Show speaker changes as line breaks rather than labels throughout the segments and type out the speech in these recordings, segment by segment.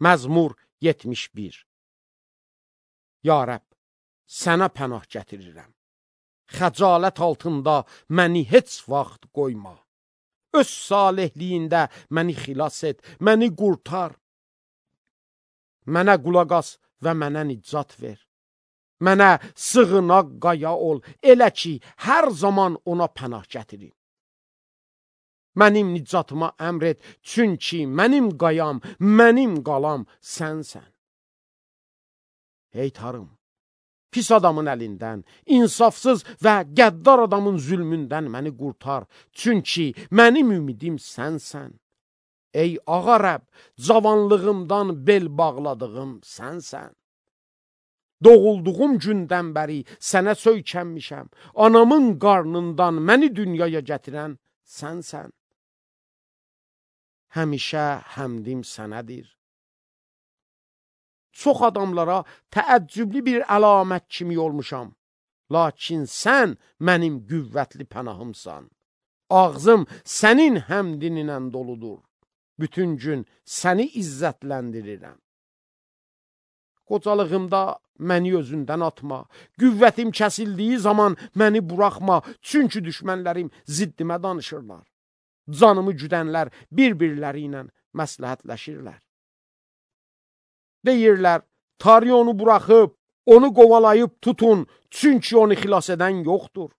Məzmur 71. Ya Rəbb, sənə pənah gətirirəm. Xəcalət altında məni heç vaxt qoyma. Öz salehliyində məni xilas et, məni qurtar. Mənə qulaq as və mənə nicat ver. Mənə sığınaq qaya ol, elə ki, hər zaman ona pənah gətirim. Mənim nicatıma əmr et, çünki mənim qayam, mənim qalam sənsən. Ey Tanrım, pis adamın əlindən, insafsız və qəddar adamın zülmündən məni qurtar, çünki mənim ümidim sənsən. Ey Ağa Rəbb, cavanlığımdan bel bağladığım sənsən. Doğulduğum gündən bəri sənə söykənmişəm, anamın qarnından məni dünyaya gətirən sənsən. Həmişə həmdim sənədir. Çox adamlara təəccüblü bir əlamət kimi olmuşam. Lakin sən mənim qüvvətli pənahımsan. Ağzım sənin həmdinlə doludur. Bütün gün səni izzətləndirirəm. Qocalığımda məni özündən atma. Qüvvətim kəsildiyi zaman məni buraxma. Çünki düşmənlərim ziddimə danışırlar. Canımı güdənlər bir-birləri ilə məsləhətləşirlər. Deyirlər, Tanrı onu buraxıb, onu qovalayıb tutun, çünki onu xilas edən yoxdur.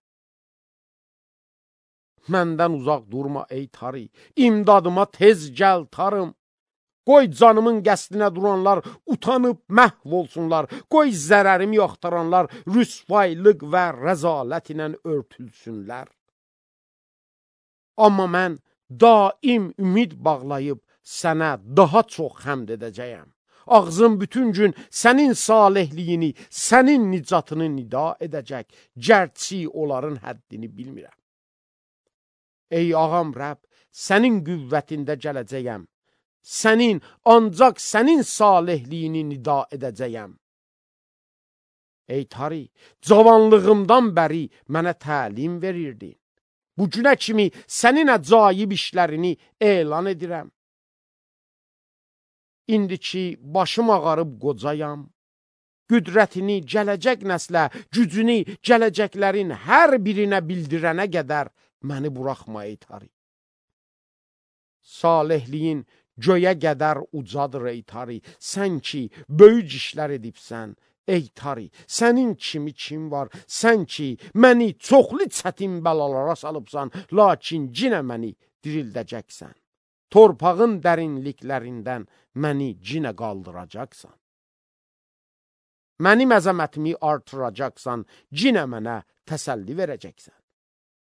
Məndən uzaq durma ey Tanrı, imdadıma tez gəl Tanrım. Qoy canımın qəsdinə duranlar utanıb məhv olsunlar. Qoy zərərimi yaxtaranlar rüsvaylıq və rəzalət ilə örtülsünlər. Amma mən daim ümid bağlayıb sənə daha çox həmd edəcəyəm. Ağzım bütün gün sənin salehliyini, sənin nicatını nida edəcək, gərçi onların həddini bilmirəm. Ey ağam Rəbb, sənin qüvvətində gələcəyəm. Ancaq sənin salehliyini nida edəcəyəm. Ey Tanrı, cavanlığımdan bəri mənə təlim verirdin. Bu günə kimi sənin əcaib işlərini elan edirəm. İndi ki, başım ağarıb qocayam, qüdrətini gələcək nəslə, gücünü gələcəklərin hər birinə bildirənə qədər məni buraxma ey Tanrı. Salihliyin göyə qədər ucadır ey Tanrı, sən ki, böyük işlər edibsən. Ey Tanrı, sənin kimi kim var? Sən ki, məni çoxlu çətin bəlalara salıbsan, lakin yenə məni dirildəcəksən. Torpağın dərinliklərindən məni yenə qaldıracaqsan. Mənim əzəmətimi artıracaqsan, yenə mənə təsəlli verəcəksən.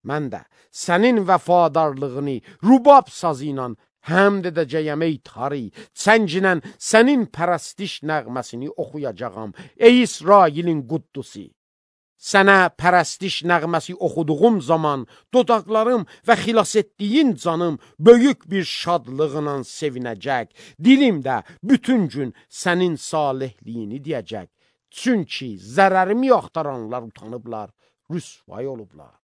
Mən də sənin vəfadarlığını rubab sazı ilə həmd edəcəyəm ey Tanrı, çənginlə sənin pərəstiş nəğməsini oxuyacağam, ey İsrailin quddusu. Sənə pərəstiş nəğməsi oxuduğum zaman dodaqlarım və xilas etdiyin canım böyük bir şadlığla sevinəcək. Dilim də bütün gün sənin salehliyini deyəcək. Çünki zərərimi yaxtaranlar utanıblar, rüsvay olublar.